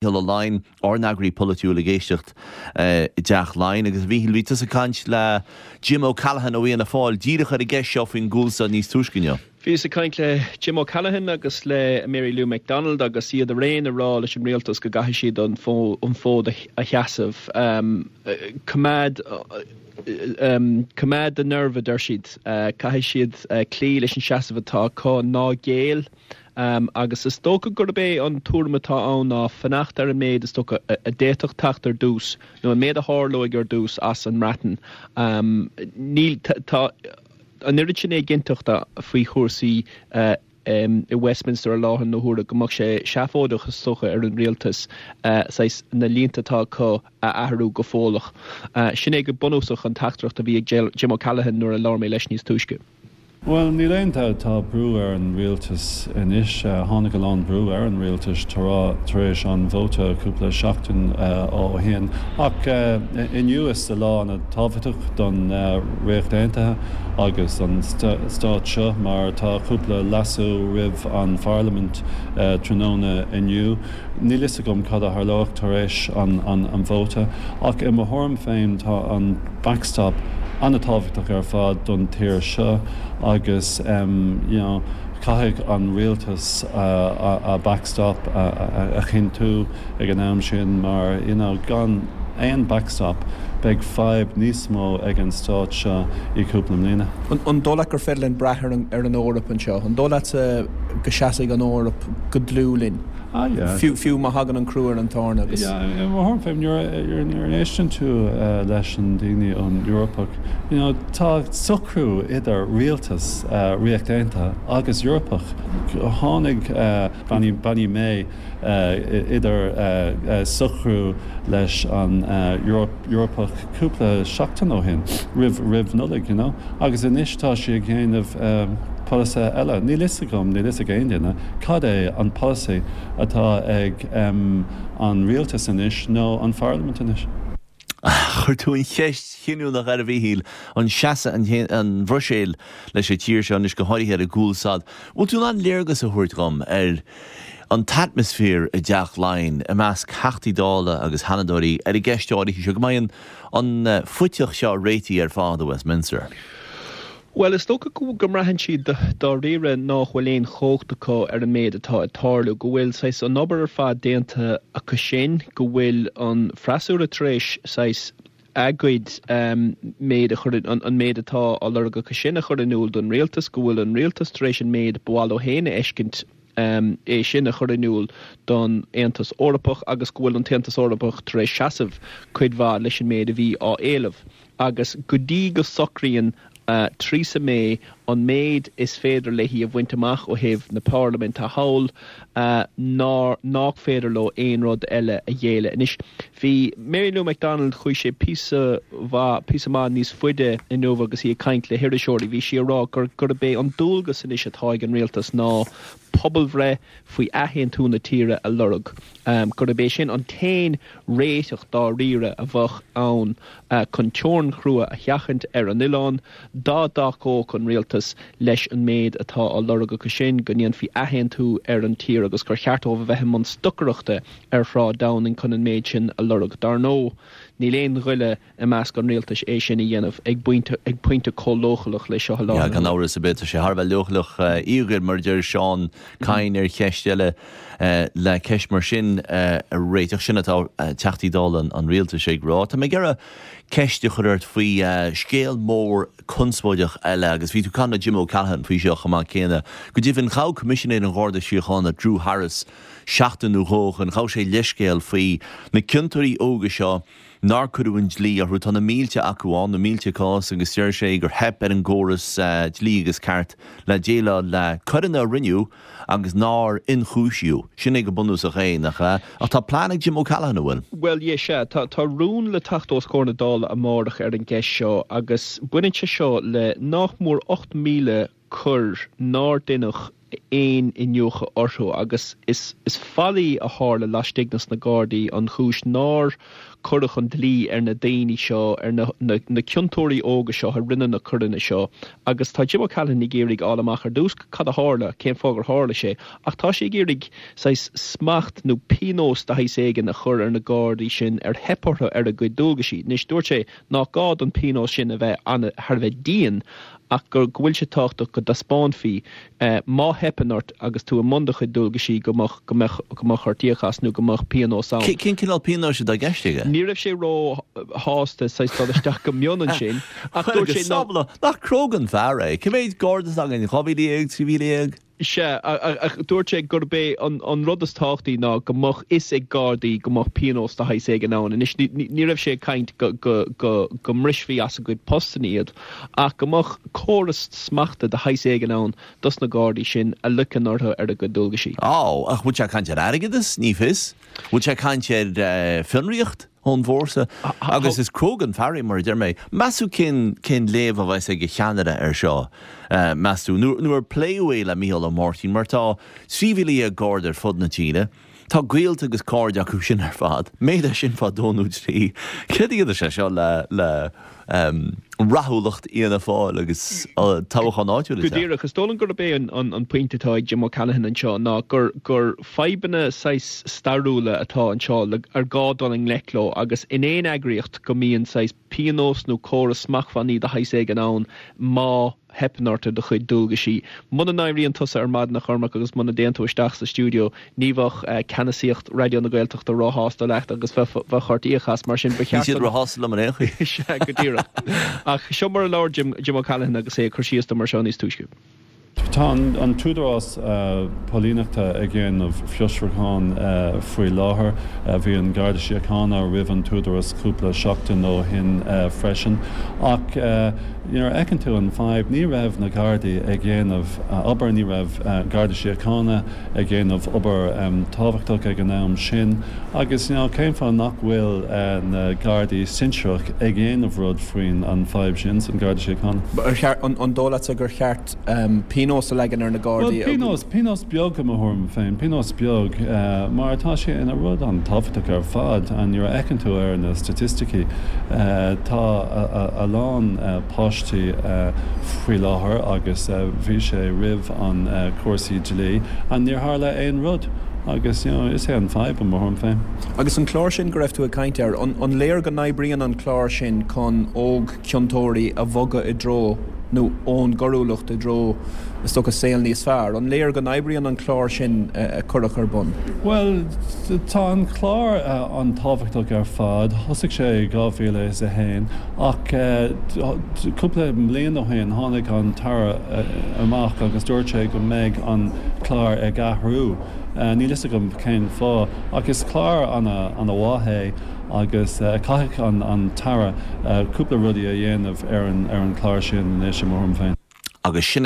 Ó Laighin, ár n-eagraí polaitiúil ag éisteacht i dTeach Laighean. Agus a Mhíchíl, bhí tusa ag caint le Jim O'Callaghan ó Fhianna Fáil díreach ar an gceist seo faoin gcúlstad níos túisce inniu. Bhíos ag caint le Jim O'Callaghan agus le Mary Lou McDonald agus iad araon ag rá leis an rialtas go gcaithfidh siad an fód a sheasamh. Coimeád coimeád do nerve a deir siad. Caithfidh siad cloí leis an seasamh atá acu, ná géill. Agus is dócha gurb é an tuairim atá ann ná fanacht ar an méid is dócha a d'fhéadfadh teacht ar dtús, nó an méid a tharlóidh ar dtús as an mBreatain. Níl, tá an oiread sin éiginnteachta faoi chúrsaí i Westminster i láthair na huaire go mbeadh sé seafóideach is dócha ar an rialtas saghas na línte atá acu a athrú go fóilleach. Sin é go bunúsach an teachtaireacht a bhí ag Jim O'Callaghan nuair a labhair mé leis níos túisce. Bhuel, níl aon dabht, tá brú ar an rialtas anois. Tháinig a lán brú ar an rialtas tar éis an vóta cúpla seachtain ó shin. Ach inniu is lá an-tábhachtach don Ríocht Aontaithe agus don stát seo mar tá cúpla leasú roimh an pharlaimint tráthnóna inniu. Níl fhios agam cad a tharlóidh tar éis an vóta, ach i mo thuairim féin tá an backstop an-tábhachtach ar fad don tír seo agus you know caithfidh an rialtas a backstop a chinntiú ag an am sin mar you know gan aon backstop beidh fadhb níos mó ag an stát seo i cúpla mbliana. An dóigh leat gur féidir linn brath ar an Eoraip anseo? An dóigh leatsa go seasfaidh an Eoraip go dlúth linn? Ah yeah. Fiú, fiú má thagann an crú ar an tairne agus. Yeah, i mo thuairim féin, nuair a éisteann tú leis an daoine ón Eorpach, you know, tá socrú idir rialtas Ríocht Aontaithe agus Eorpach. Tháinig Bean Bean May idir socrú leis an Eorpach cúpla seachtain ó shin, roimh roimh Nollaig, you know, agus anois tá sí ag déanamh polasaithe eile. Níl fhios agam, níl fhios ag aon duine, cad é an polasaí atá ag an rialtas anois nó an pharlaimint anois. Chuir tú an cheist chinniúnach air, a Mhíchíl, an seasfaidh an Bhruiséil leis an tír seo anois, go háirithe ar an gcúlstad. Bhfuil tú in ann léargas a thabhairt dhom ar an t-atmaisféar i dTeach Laighean i measc Theachtaí Dála agus Sheanadóirí ar an gceist áirithe seo, go mbeidh an phuiteach seo réitithe ar fad i Westminster? Bhuel, is dócha go mbraitheann siad dáiríre nách bhfuil aon chumhacht acu ar an méid atá ag tarlú, go bhfuil saghas an obair ar fad déanta acu sin, go bhfuil an freasúra tar éis saghas a gcuid méid a chur, an méid atá á lorg acu sin a chur in iúl don rialtas, go bhfuil an rialtas tar éis an méid ba mhaith leo féin a fheiscint é sin a chur in iúl don Aontas Eorpach agus go bhfuil an tAontas Eorpach tar éis seasamh cuid mhaith leis an méid a bhí á éileamh. Agus go dtí go socraíonn Theresa May an méid is féidir léi a bhaint amach ó thaobh na parlaiminte thall, ná nách féidir leo aon rud eile a ghéilleadh. Anois, bhí Mary Lou McDonald, chuaigh sé píosa mhaith, píosa maith níos faide inniu agus í ag caint le hiriseoirí. Bhí sí ag rá gur, gurb é an dualgas anois atá ag an rialtas ná pobalbhreith faoi athaontú na tíre a lorg, gurb é sin an t-aon réiteach dáiríre a bheadh ann chun teorainn chrua a sheachaint ar an oileán, dá dtacódh an rialtas leis an méid atá á lorg acu sin, go ndéanfaí athaontú ar an tír agus gur cheart dóibh a bheith i mbun stocaireachta ar Shráid Downing chun an méid sin a lorg. Dar ndóigh, níl aon ghoile i measc an rialtais é sin a dhéanamh ag pointe ag pointe chomh leochaileach le seo i láthair na Gan amhras ar bith, tá sé thar a bheith leochaileach, íogair, mar a deir Seán Kyne ar cheist eile le ceist mar sin a réiteach. Sin atá Teachtaí Dála an rialtais ag rá. Tá mé ag iarraidh ceist a chur ort faoi scéal mór conspóideach eile agus bhí tú ag caint le Jim O'Callaghan faoi seo chomh maith céanna. Go deimhin, ghabh Coimisinéir an Gharda Síochána, Drew Harris, seachtain nó dhó ó shin, ghabh sé leithscéal faoi na ciontóirí óga seo nár cuireadh an dlí orthu. Tá na mílte acu ann, na mílte cás, agus deir sé gur theip ar an gcóras dlí agus ceart le déileáil le coireanna a rinneadh agus nár ionchúisíodh. Sin é go bunúsach é, nach ea? Ach tá plean ag Jim O'Callaghan, an bhfuil? Bhuel, yeah, sea. Tá, tá rún le teacht os comhair na Dála amárach ar an gceist seo agus baineann sé seo le nách mór 8,000 coir nár deineadh. aon iniúchadh orthu agus is faillí a tharla laistigh de sna Gardaí an chúis nár cuireadh an dlí ar na daoine seo, ar na na ciontóirí óga seo a rinne na coireanna seo agus tá Jim O'Callaghan ag iarraidh fháil amach ar dtús cad a tharla, cén fáth gur tharla sé ach tá sé ag iarraidh saghas smacht nó pionós de shaghas éigin a chur ar na Gardaí sin ar theip orthu ar a gcuid dualgaisí. Anois dúirt sé nach gá don phionós sin a bheith thar a bheith dian ach go bhfuil sé tábhachtach go dtaispeánfaí má theipeann ort agus tú i mbun do chuid dualgaisí go mbeadh go mbeadh go mbeadh ort íoc as nó go mbeadh pionós ann. Cén cineál pionóis atá i gceist aige? Ní raibh sé ró-shásta saghas dul isteach go mion ansin ach dúirt sé ná. Nach cróga an fear é? Cé mhéad Garda atá againn? 12,000? 13,000? Sea, ach dúirt sé gurb é an rud is tábhachtaí ná go mbeadh fhios ag Gardaí go mbeadh pionós de shaghas éigin ann. Anois, ní raibh sé ag caint go mbrisfí as a gcuid postanna iad, ach go mbeadh córas smachta de shaghas éigin ann dos na Gardaí sin a loiceann orthu ar a gcuid dualgaisí. Á, ach bhfuil sé ag caint ar airgeadas? Ní fios. Bhfuil sé ag caint ar fionraíocht? ón bhfórsa. Agus is cróga an fear é, mar a deir mé. Meas tú cén cén léamh a bheas ag a cheannaire air seo, meas tú? Nó nó ar pléadh é le Micheál Ó Máirtín? Mar tá 13,000 Garda ar fud na tíre. Tá gaolta agus cairde acu sin ar fad. Méadaigh sin fá dó nó trí. Céard a dhéanfaidh sé seo le le rathúlacht Fhianna Fáil agus toghchán áitiúil Go díreach. Is dóigh liom gurb é an pointe atá ag Jim O'Callaghan anseo ná gur gur fadhbanna saghas stairiúla atá anseo le ar gá dul i ngleic leo agus in aon eagraíocht go mbíonn saghas pionós nó córas smachtbhannaí de shaghas éigin ann má theipeann ort ar do chuid dualgaisí. Muna n-éiríonn tusa ar maidin a Chormaic agus muna dtéann tú isteach sa stiúideo ní bheadh ceannasaíocht Raidió na Gaeltachta róshásta leat agus bheadh ort íoc as, mar sin ba cheart. Níl siad róshásta liom in aon chaoi. Sea, go díreach. Ach seo mar a labhair Jim, Jim O'Callaghan agus é ag cur síos dom ar seo níos túisce. Tá an tÚdarás Póilíneachta ag déanamh fiosrúchán faoi láthair. Bhí an Garda Síochána roimh an tÚdarás cúpla seachtain ó shin freisin. Ach nuair a fheiceann tú an fadhb, ní raibh na Gardaí ag déanamh obair, ní raibh Garda Síochána ag déanamh obair tábhachtach ag an am sin agus you know cén fáth nach bhfuil na Gardaí sinsearach ag déanamh rud faoin an fadhb sin san Garda Síochána? Ar cheart, an dóigh leatsa gur cheart pionós a leagan ar na Gardaí? Bhuel pionós, pionós beag i mo thuairim féin, pionós beag mar tá sé ina rud an-tábhachtach ar fad and nuair a fheiceann tú ar na staitisticí tá a lán páistí faoi láthair agus bhí sé roimh an cúrsaí dlí and níor tharla aon rud agus you know is é an fadhb i mo thuairim féin. Agus an clár sin go raibh tú ag caint air, an léir go n-oibríonn an clár sin chun óg-chiontóirí a bhogadh i dtreo nó ón gcoiriúlacht i dtreo is dócha saol níos fearr? An léir go n-oibríonn an clár sin a cuireadh ar bun? Bhuel, tá an clár an-tábhachtach ar fad. Thosaigh sé i 2001 ach cúpla bliain ó shin tháinig an tAire amach agus dúirt sé go mbeidh an clár ag athrú. Níl fhios agam cén fáth ach is clár ana-mhaith é agus caithfidh an tAire cúpla rudaí a dhéanamh ar an chlár sin anois i mo thuairim féin. Agus sin.